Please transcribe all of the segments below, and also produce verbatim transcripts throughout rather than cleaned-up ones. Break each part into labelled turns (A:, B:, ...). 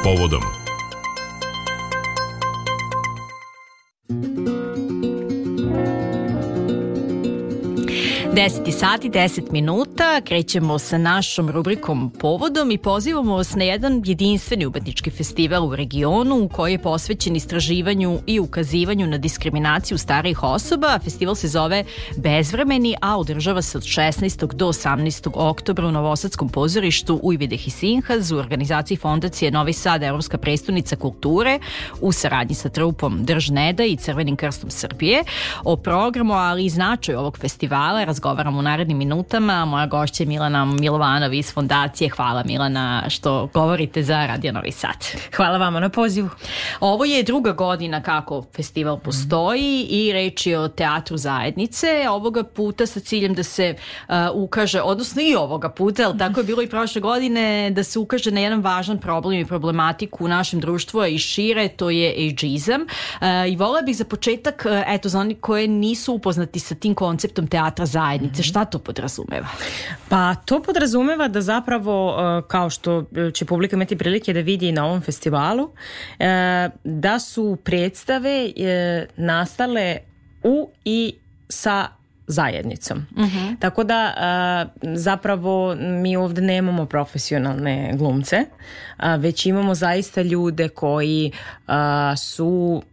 A: povodom.
B: deset sati, deset minuta, krećemo sa našom rubrikom Povodom i pozivamo vas na jedan jedinstveni umetnički festival u regionu koji je posvećen istraživanju i ukazivanju na diskriminaciju starijih osoba. Festival se zove Bezvremeni, a održava se od šesnaestog do osamnaestog oktobra u Novosadskom pozorištu Ujvideh i Sinhaz u organizaciji Fondacije Novi Sad, Evropska prestonica kulture, u saradnji sa trupom Drž Neda i Crvenim krstom Srbije. O programu, ali i značaju ovog festivala razgovaramo u narednim minutama. Moja gošća je Milana Milovanov iz Fondacije. Hvala, Milana, što govorite za Radio Novi Sad.
C: Hvala vama na pozivu.
B: Ovo je druga godina kako festival postoji i reč je o teatru zajednice. Ovoga puta sa ciljem da se uh, ukaže, odnosno i ovoga puta, ali tako je bilo i prošle godine, da se ukaže na jedan važan problem i problematiku u našem društvu, a i šire, to je ageizam. Uh, I volela bih za početak, uh, eto, za oni koji nisu upoznati sa tim konceptom teatra zajednice, šta to podrazumeva?
C: Pa to podrazumeva da zapravo, kao što će publika imati prilike da vidi na ovom festivalu, da su predstave nastale u i sa zajednicom. Uh-huh. Tako da zapravo mi ovdje nemamo profesionalne glumce, već imamo zaista ljude koji su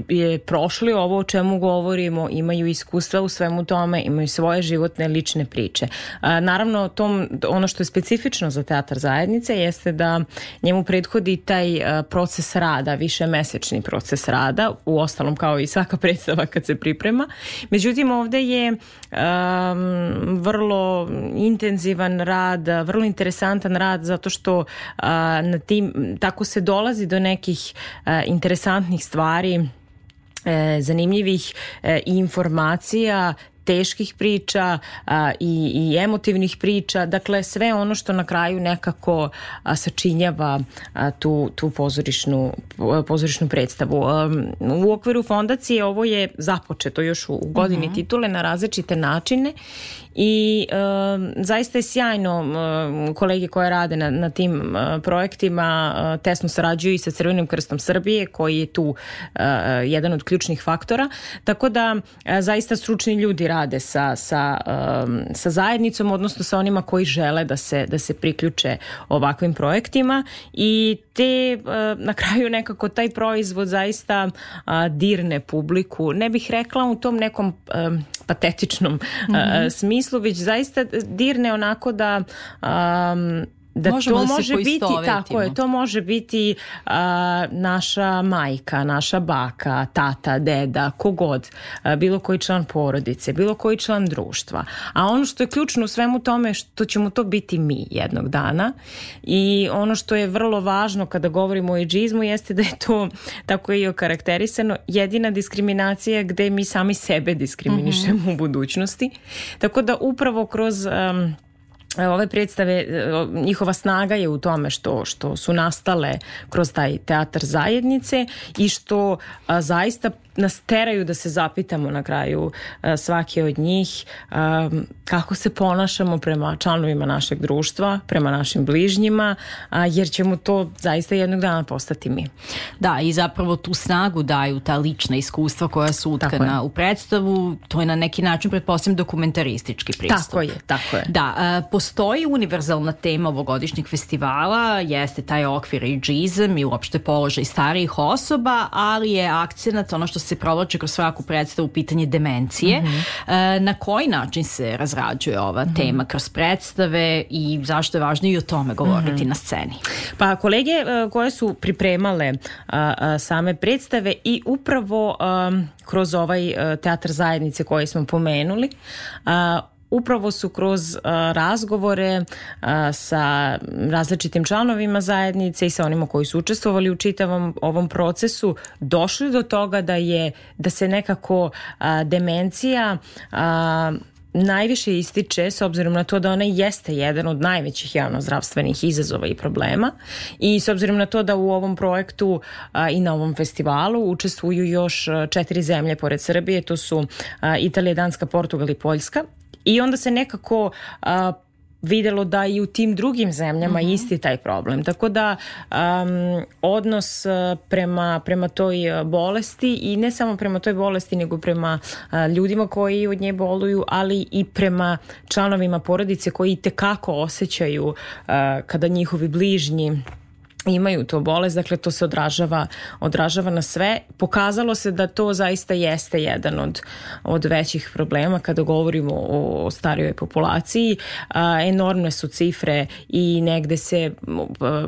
C: je prošli ovo o čemu govorimo, imaju iskustva u svemu tome, imaju svoje životne lične priče. A, naravno, tom, ono što je specifično za teatar zajednice jeste da njemu prethodi taj a, proces rada, višemesečni proces rada, u ostalom kao i svaka predstava kad se priprema. Međutim, ovdje je a, vrlo intenzivan rad, vrlo interesantan rad zato što a, na tim, tako se dolazi do nekih a, interesantnih stvari, zanimljivih informacija, teških priča a, i, i emotivnih priča, dakle sve ono što na kraju nekako a, sačinjava a, tu, tu pozorišnu, pozorišnu predstavu. A, u okviru fondacije ovo je započeto još u godini uh-huh. titule na različite načine i a, zaista je sjajno, a, kolege koje rade na, na tim a, projektima a, tesno sarađuju i sa Crvenim krstom Srbije koji je tu a, jedan od ključnih faktora, tako da a, zaista stručni ljudi rade sa, sa, um, sa zajednicom, odnosno sa onima koji žele da se, da se priključe ovakvim projektima i te uh, na kraju nekako taj proizvod zaista uh, dirne publiku. Ne bih rekla u tom nekom um, patetičnom uh, mm-hmm. smislu, već zaista dirne onako da um, da
B: možemo
C: to
B: da
C: može biti tako je, to može biti uh, naša majka, naša baka, tata, deda, kogod, uh, bilo koji član porodice, bilo koji član društva. A ono što je ključno u svemu tome što ćemo to biti mi jednog dana i ono što je vrlo važno kada govorimo o ageizmu jeste da je to, tako je i okarakterisano, jedina diskriminacija gde mi sami sebe diskriminišemo mm-hmm. u budućnosti. Tako da upravo kroz um, ove predstave, njihova snaga je u tome što, što su nastale kroz taj teatar zajednice i što a, zaista nas teraju da se zapitamo na kraju a, svake od njih a, kako se ponašamo prema članovima našeg društva, prema našim bližnjima, a, jer ćemo to zaista jednog dana postati mi.
B: Da, i zapravo tu snagu daju ta lična iskustva koja su utkana u predstavu. To je na neki način, pretpostavljam, dokumentaristički pristup.
C: Tako je, tako je.
B: Da, a, postoji univerzalna tema ovogodišnjeg festivala, jeste taj okvir ageizam i uopšte položaj starijih osoba, ali je akcenat, ono što se provlači kroz svaku predstavu, pitanje demencije. Mm-hmm. E, na koji način se razrađuje ova mm-hmm. tema kroz predstave i zašto je važno i o tome govoriti mm-hmm. na sceni?
C: Pa kolege uh, koje su pripremale uh, uh, same predstave i upravo um, kroz ovaj uh, teatar zajednice koji smo pomenuli, uh, upravo su kroz uh, razgovore uh, sa različitim članovima zajednice i sa onima koji su učestvovali u čitavom ovom procesu došli do toga da je da se nekako uh, demencija uh, najviše ističe s obzirom na to da ona jeste jedan od najvećih javnozdravstvenih izazova i problema i s obzirom na to da u ovom projektu a, i na ovom festivalu učestvuju još četiri zemlje pored Srbije, to su a, Italija, Danska, Portugal i Poljska i onda se nekako a, videlo da i u tim drugim zemljama mm-hmm. isti taj problem. Tako da um, odnos prema, prema toj bolesti i ne samo prema toj bolesti nego prema uh, ljudima koji od nje boluju, ali i prema članovima porodice koji itekako osjećaju uh, kada njihovi bližnji imaju to bolest, dakle to se odražava, odražava na sve. Pokazalo se da to zaista jeste jedan od, od većih problema kada govorimo o, o starijoj populaciji. A, enormne su cifre i negde se a,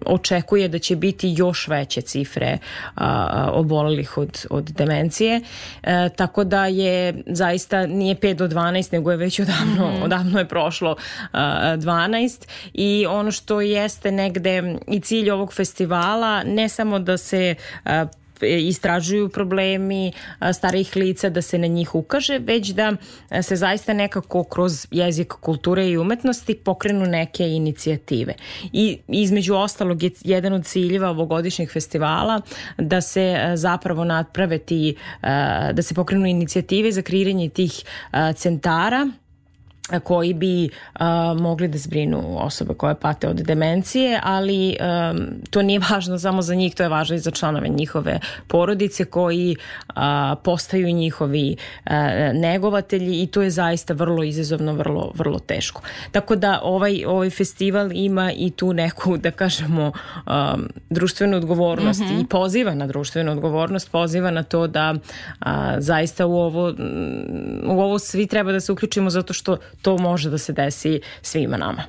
C: očekuje da će biti još veće cifre a, obolelih od, od demencije. A, tako da je zaista nije pet do dvanaest, nego je već odavno, mm-hmm. odavno je prošlo a, dvanaest i ono što jeste negde i cilj ovog festivala ne samo da se a, istražuju problemi a, starijih lica, da se na njih ukaže, već da a, se zaista nekako kroz jezik, kulture i umetnosti pokrenu neke inicijative. I između ostalog je jedan od ciljeva ovogodišnjeg festivala da se a, zapravo naprave ti, a, da se pokrenu inicijative za kreiranje tih a, centara koji bi uh, mogli da zbrinu osobe koje pate od demencije, ali um, to nije važno samo za njih, to je važno i za članove njihove porodice koji uh, postaju njihovi uh, negovatelji i to je zaista vrlo izazovno, vrlo, vrlo teško. Tako da ovaj, ovaj festival ima i tu neku, da kažemo, um, društvenu odgovornost mm-hmm. i poziva na društvenu odgovornost, poziva na to da uh, zaista u ovo, u ovo svi treba da se uključimo zato što to može da se desi svima nama.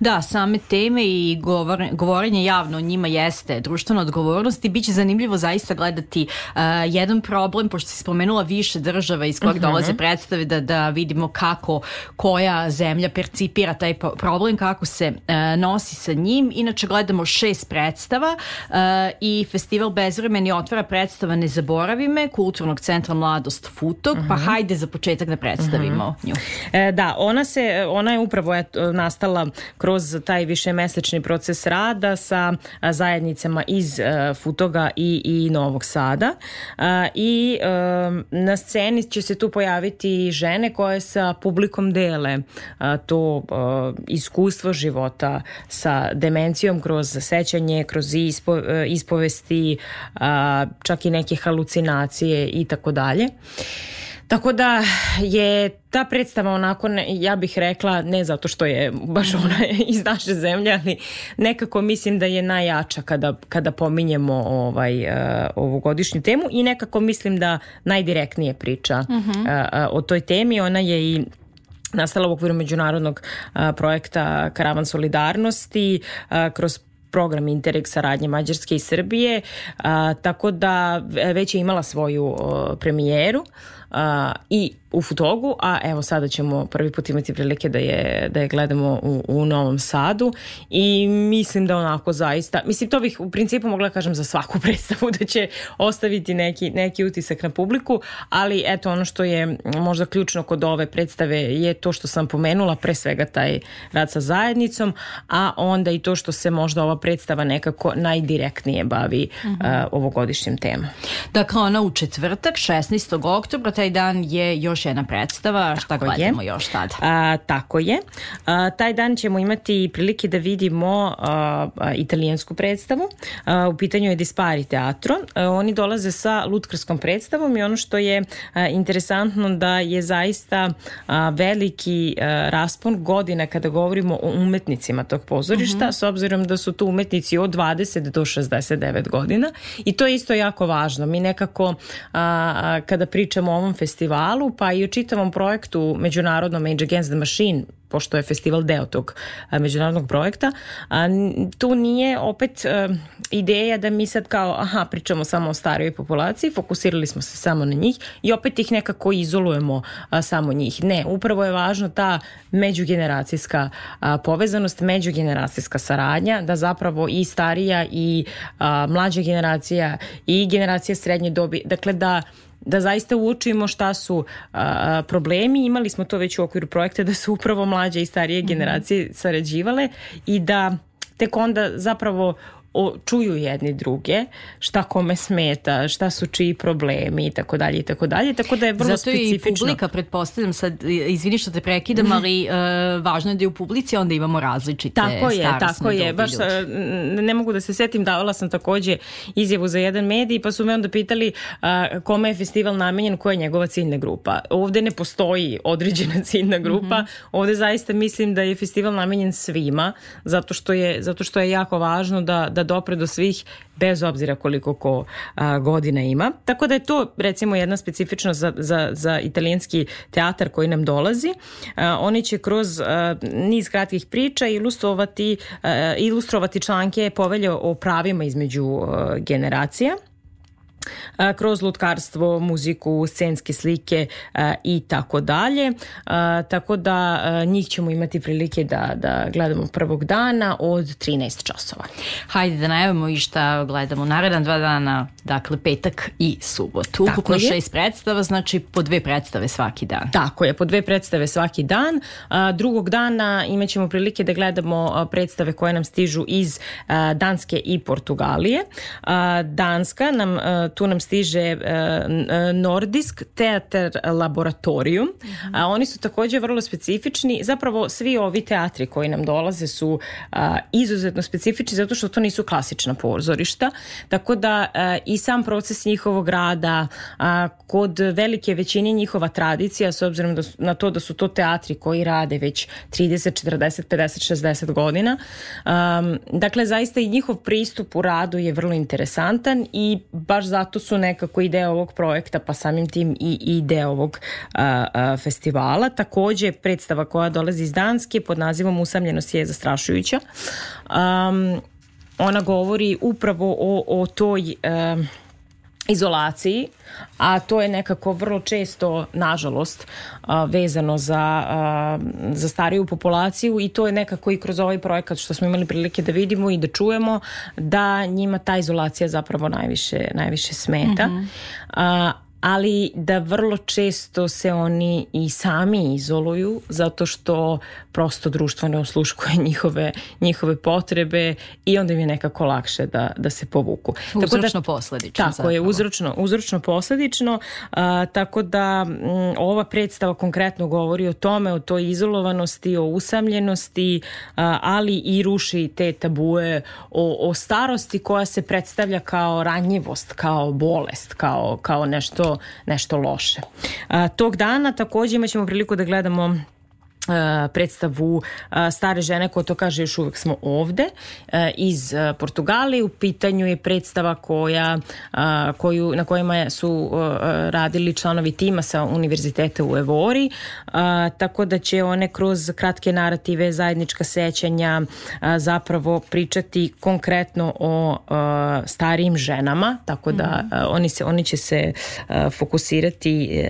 B: Da, same teme i govor, govorenje javno o njima jeste društvena odgovornost i bit će zanimljivo zaista gledati uh, jedan problem, pošto si spomenula više država iz kojeg uh-huh. dolaze predstave, da, da vidimo kako koja zemlja percipira taj problem, kako se uh, nosi sa njim. Inače gledamo šest predstava uh, i festival Bezvremeni otvara predstava Ne zaboravi me, Kulturnog centra Mladost Futog, uh-huh. pa hajde za početak da predstavimo uh-huh. nju.
C: E, da, ona se, ona je upravo eto, nastala kroz taj višemesečni proces rada sa a, zajednicama iz a, Futoga i, i Novog Sada a, i a, na sceni će se tu pojaviti žene koje sa publikom dele a, to a, iskustvo života sa demencijom kroz sećanje, kroz ispo, a, ispovesti, a, čak i neke halucinacije i tako dalje. Tako da je ta predstava onako, ja bih rekla, ne zato što je baš ona iz naše zemlje, ali nekako mislim da je najjača kada, kada pominjemo ovaj, uh, ovu godišnju temu i nekako mislim da najdirektnije priča uh-huh. uh, o toj temi. Ona je i nastala u okviru međunarodnog uh, projekta Karavan solidarnosti uh, kroz program Interreg saradnje Mađarske i Srbije, a, tako da već je imala svoju a, premijeru a, i u Futogu, a evo sada ćemo prvi put imati prilike da je, da je gledamo u, u Novom Sadu i mislim da onako zaista, mislim to bih u principu mogla da kažem za svaku predstavu da će ostaviti neki, neki utisak na publiku, ali eto ono što je možda ključno kod ove predstave je to što sam pomenula, pre svega taj rad sa zajednicom, a onda i to što se možda ova predstava nekako najdirektnije bavi uh-huh. uh, ovogodišnjim temom.
B: Dakle, ona u četvrtak, šesnaestog oktobra, taj dan je još jedna predstava, šta tako gledamo je. Još tada?
C: A, tako je. A, taj dan ćemo imati prilike da vidimo a, a, italijansku predstavu. A, u pitanju je Dispari teatro. A, oni dolaze sa lutkarskom predstavom i ono što je a, interesantno da je zaista a, veliki a, raspon godina kada govorimo o umetnicima tog pozorišta, uh-huh. s obzirom da su tu umetnici od dvadeset do šezdeset devet godina i to je isto jako važno. Mi nekako a, a, kada pričamo o ovom festivalu, pa i o čitavom projektu međunarodnom Age Against the Machine, pošto je festival deo tog a, međunarodnog projekta, a, tu nije opet a, ideja da mi sad kao, aha, pričamo samo o starijoj populaciji, fokusirali smo se samo na njih i opet ih nekako izolujemo a, samo njih. Ne, upravo je važno ta međugeneracijska a, povezanost, međugeneracijska saradnja, da zapravo i starija i a, mlađa generacija i generacija srednje dobi, dakle da da zaista uočimo šta su a, problemi. Imali smo to već u okviru projekta da su upravo mlađe i starije generacije sarađivale i da tek onda zapravo o, čuju jedni druge, šta kome smeta, šta su čiji problemi i tako dalje i tako dalje, tako da je vrlo
B: Zato
C: specifično.
B: Zato i publika, pretpostavljam sad, izvini što te prekidam, ali uh, važno je da je u publici onda imamo različite
C: tako je,
B: starosne
C: tako je, baš ljudi. Ne mogu da se setim, davala sam takođe izjavu za jedan medij, pa su me onda pitali uh, kome je festival namenjen, koja je njegova ciljna grupa. Ovde ne postoji određena ciljna grupa, mm-hmm. ovde zaista mislim da je festival namenjen svima, zato što je, zato što je jako važno da, da dopre do svih, bez obzira koliko ko a, godina ima. Tako da je to recimo jedna specifičnost za, za, za italijanski teatar koji nam dolazi. A, oni će kroz a, niz kratkih priča ilustrovati, a, ilustrovati članke Povelje o pravima između a, generacija, a, kroz lutkarstvo, muziku, scenske slike a, i tako dalje. A, tako da a, njih ćemo imati prilike da, da gledamo prvog dana od trinaest časova.
B: Hajde da najavimo i šta gledamo naredan dva dana, dakle petak i subotu. Ukupno šest predstava, znači po dve predstave svaki dan.
C: Tako je, po dve predstave svaki dan. A, drugog dana imat ćemo prilike da gledamo predstave koje nam stižu iz a, Danske i Portugalije. A, Danska nam a, tu nam stiže uh, Nordisk Teater Laboratorium. Mm-hmm. A oni su također vrlo specifični. Zapravo svi ovi teatri koji nam dolaze su uh, izuzetno specifični zato što to nisu klasična pozorišta. Tako da uh, i sam proces njihovog rada, uh, kod velike većine njihova tradicija, s obzirom da su, na to da su to teatri koji rade već trideset, četrdeset, pedeset, šezdeset godina. Um, dakle, zaista i njihov pristup u radu je vrlo interesantan i baš zato su nekako i deo ovog projekta, pa samim tim i, i deo ovog a, a, festivala. Također predstava koja dolazi iz Danske pod nazivom Usamljenost je zastrašujuća. Um, ona govori upravo o, o toj um, izolaciji, a to je nekako vrlo često, nažalost, vezano za, za stariju populaciju i to je nekako i kroz ovaj projekat što smo imali prilike da vidimo i da čujemo da njima ta izolacija zapravo najviše, najviše smeta. Mm-hmm. A, ali da vrlo često se oni i sami izoluju zato što prosto društvo ne osluškuje njihove, njihove potrebe i onda im je nekako lakše da, da se povuku.
B: Uzročno posledično.
C: Tako zapravo. je, uzročno, uzročno posledično. A, tako da m, ova predstava konkretno govori o tome, o toj izolovanosti, o usamljenosti, a, ali i ruši te tabue o, o starosti koja se predstavlja kao ranjivost, kao bolest, kao, kao nešto nešto loše. A, tog dana također imat ćemo priliku da gledamo predstavu Stare žene koja to kaže još uvijek smo ovde iz Portugalije. U pitanju je predstava koja, koju, na kojima su radili članovi tima sa univerziteta u Evori, tako da će one kroz kratke narative, zajednička sećanja zapravo pričati konkretno o starijim ženama, tako da oni, se, oni će se fokusirati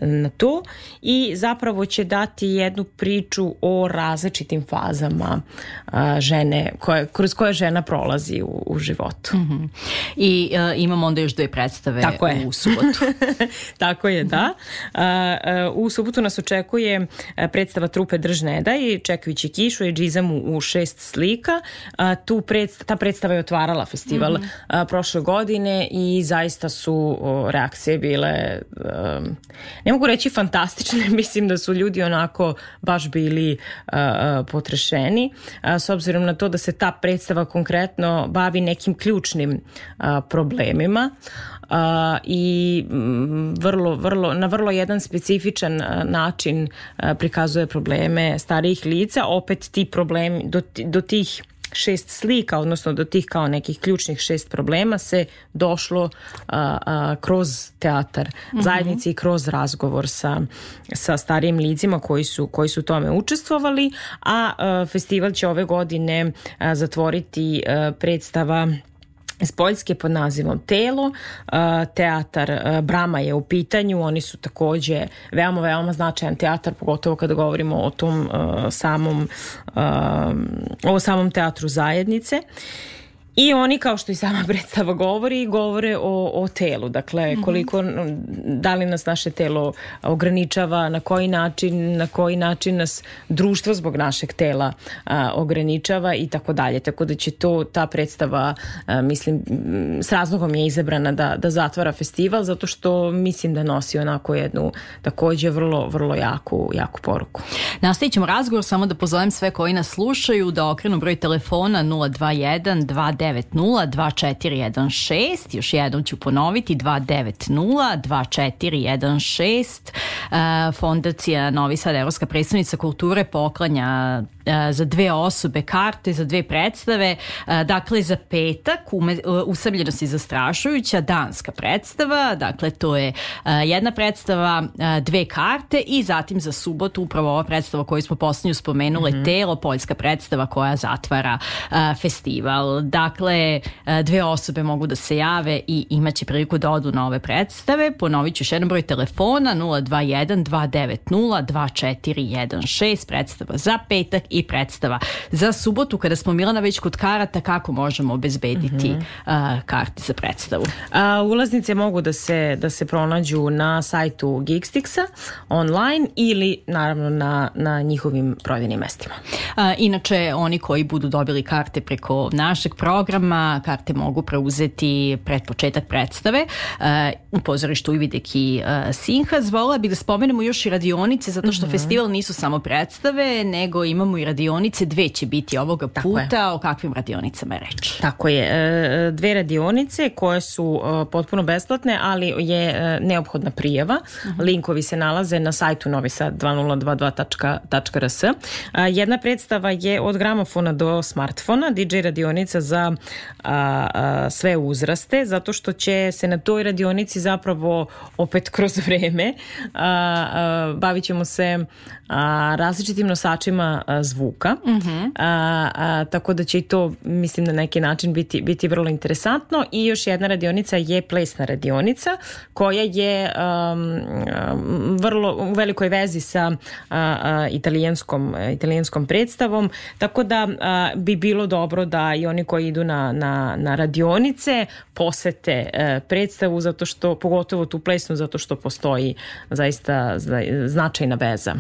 C: na to i zapravo će dati jednu priču o različitim fazama a, žene koje, kroz koje žena prolazi u, u životu.
B: Mm-hmm. I a, imamo onda još dve predstave
C: Tako
B: u subotu.
C: Tako je, da. A, a, u subotu nas očekuje predstava trupe Drž ne daj, Čekajući kišu, Edžizam u, u šest slika. A, tu predst, ta predstava je otvarala festival mm-hmm. a, prošle godine i zaista su o, reakcije bile a, ne mogu reći fantastične, mislim da su ljudi onako baš bili uh, potrešeni, uh, s obzirom na to da se ta predstava konkretno bavi nekim ključnim uh, problemima uh, i mm, vrlo, vrlo, na vrlo jedan specifičan uh, način uh, prikazuje probleme starijih lica. Opet ti problemi, do, do tih šest slika, odnosno do tih kao nekih ključnih šest problema se došlo a, a, kroz teatar mm-hmm. zajednici i kroz razgovor sa, sa starijim licima koji su, koji su tome učestvovali, a, a festival će ove godine a, zatvoriti a, predstava iz Poljske pod nazivom Telo. Teatar Brama je u pitanju, oni su također veoma, veoma značajan teatar, pogotovo kada govorimo o tom samom o samom teatru zajednice. I oni, kao što i sama predstava govori, govore o, o telu. Dakle, koliko, da li nas naše telo ograničava, na koji način, na koji način nas društvo zbog našeg tela a, ograničava i tako dalje. Tako da će to, ta predstava, a, mislim, s razlogom je izabrana da, da zatvara festival, zato što mislim da nosi onako jednu takođe vrlo, vrlo jaku, jaku poruku.
B: Nastavit ćemo razgovor, samo da pozovem sve koji nas slušaju da okrenu broj telefona nula dva jedan dva devet nula dva četiri jedan šest, još jednom ću ponoviti dva devet nula dva četiri jedan šest. Fondacija Novi Sad, Evropska predstavnica kulture, poklanja za dve osobe karte za dve predstave. Dakle, za petak Usamljenost je zastrašujuća, danska predstava, dakle to je jedna predstava, dve karte, i zatim za subotu upravo ova predstava koju smo posljednju spomenule, mm-hmm. Telo, poljska predstava koja zatvara festival. Dakle, dve osobe mogu da se jave i imaće priliku da odu na ove predstave. Ponovit ću još jedan broj telefona nula dva jedan dva devet nula dva četiri jedan šest, predstava za petak i predstava za subotu. Kada smo, Milana, već kod karata, kako možemo obezbediti mm-hmm. uh, karte za predstavu?
C: A, ulaznice mogu da se, da se pronađu na sajtu Geekstixa online ili naravno na, na njihovim prodajnim mestima.
B: A, inače, oni koji budu dobili karte preko našeg programa, karte mogu preuzeti pred početak predstave uh, u pozorištu Ividek i uh, Sinhas. Volila bih da spomenemo još i radionice, zato što mm-hmm. festival nisu samo predstave, nego imamo i radionice, dve će biti ovoga Tako puta. Je. O kakvim radionicama je reč?
C: Tako je. E, dve radionice koje su e, potpuno besplatne, ali je e, neophodna prijava. Uh-huh. Linkovi se nalaze na sajtu novi sad dva nula dva dva tačka r s. E, jedna predstava je od gramofona do smartfona, D J radionica za a, a, sve uzraste, zato što će se na toj radionici zapravo opet kroz vreme a, a, bavit ćemo se a, različitim nosačima a, zvuka. Uh-huh. A, a, tako da će i to, mislim, na neki način biti, biti vrlo interesantno. I još jedna radionica je plesna radionica koja je um, vrlo u velikoj vezi sa a, a, italijanskom, italijanskom predstavom, tako da a, bi bilo dobro da i oni koji idu na, na, na radionice posete a, predstavu, zato što, pogotovo tu plesnu, zato što postoji zaista značajna veza.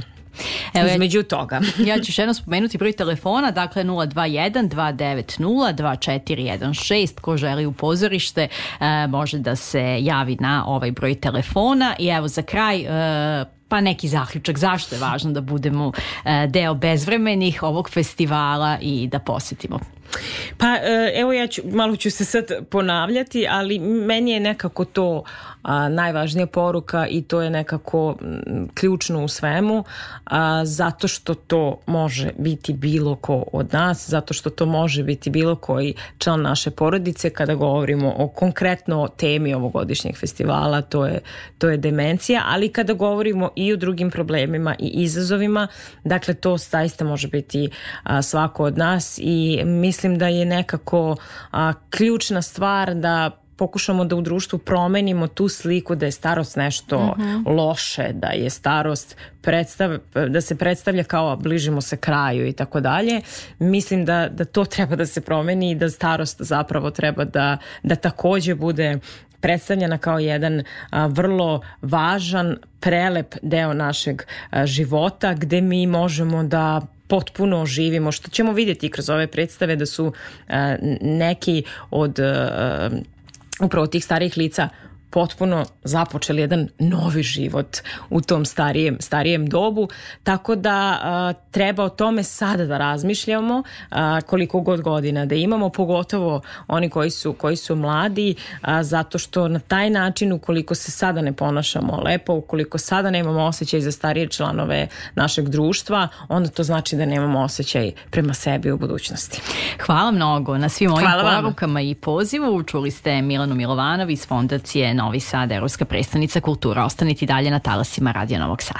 C: Evo, između toga.
B: Ja ću još jedno spomenuti broj telefona, dakle nula dva jedan dva devet nula dva četiri jedan šest. Ko želi u pozorište e, može da se javi na ovaj broj telefona. I evo za kraj e, pa neki zaključak, zašto je važno da budemo e, deo bezvremenih ovog festivala i da posjetimo.
C: Pa evo, ja ću, malo ću se sad ponavljati, ali meni je nekako to a, najvažnija poruka i to je nekako m, ključno u svemu, a, zato što to može biti bilo ko od nas, zato što to može biti bilo koji član naše porodice. Kada govorimo o konkretno temi ovogodišnjeg festivala, to je, to je demencija, ali kada govorimo i o drugim problemima i izazovima, dakle to zaista može biti a, svako od nas i mislim da je nekako a, ključna stvar da pokušamo da u društvu promenimo tu sliku da je starost nešto mm-hmm. loše, da je starost predstav, da se predstavlja kao bližimo se kraju i tako dalje. Mislim da, da to treba da se promeni i da starost zapravo treba da, da takođe bude predstavljena kao jedan a, vrlo važan, prelep deo našeg a, života gde mi možemo da potpuno živimo, što ćemo vidjeti kroz ove predstave da su uh, neki od uh, upravo tih starijih lica potpuno započeli jedan novi život u tom starijem, starijem dobu, tako da a, treba o tome sada da razmišljamo, a, koliko god godina da imamo, pogotovo oni koji su, koji su mladi, a, zato što na taj način, ukoliko se sada ne ponašamo lepo, ukoliko sada nemamo osjećaj za starije članove našeg društva, onda to znači da nemamo osjećaj prema sebi u budućnosti.
B: Hvala mnogo na svim ovim porukama i pozivu. Čuli ste Milanu Milovanović iz Fondacije Novi Sad, Evropska predstavnica kultura. Ostanite dalje na talasima Radio Novog Sada.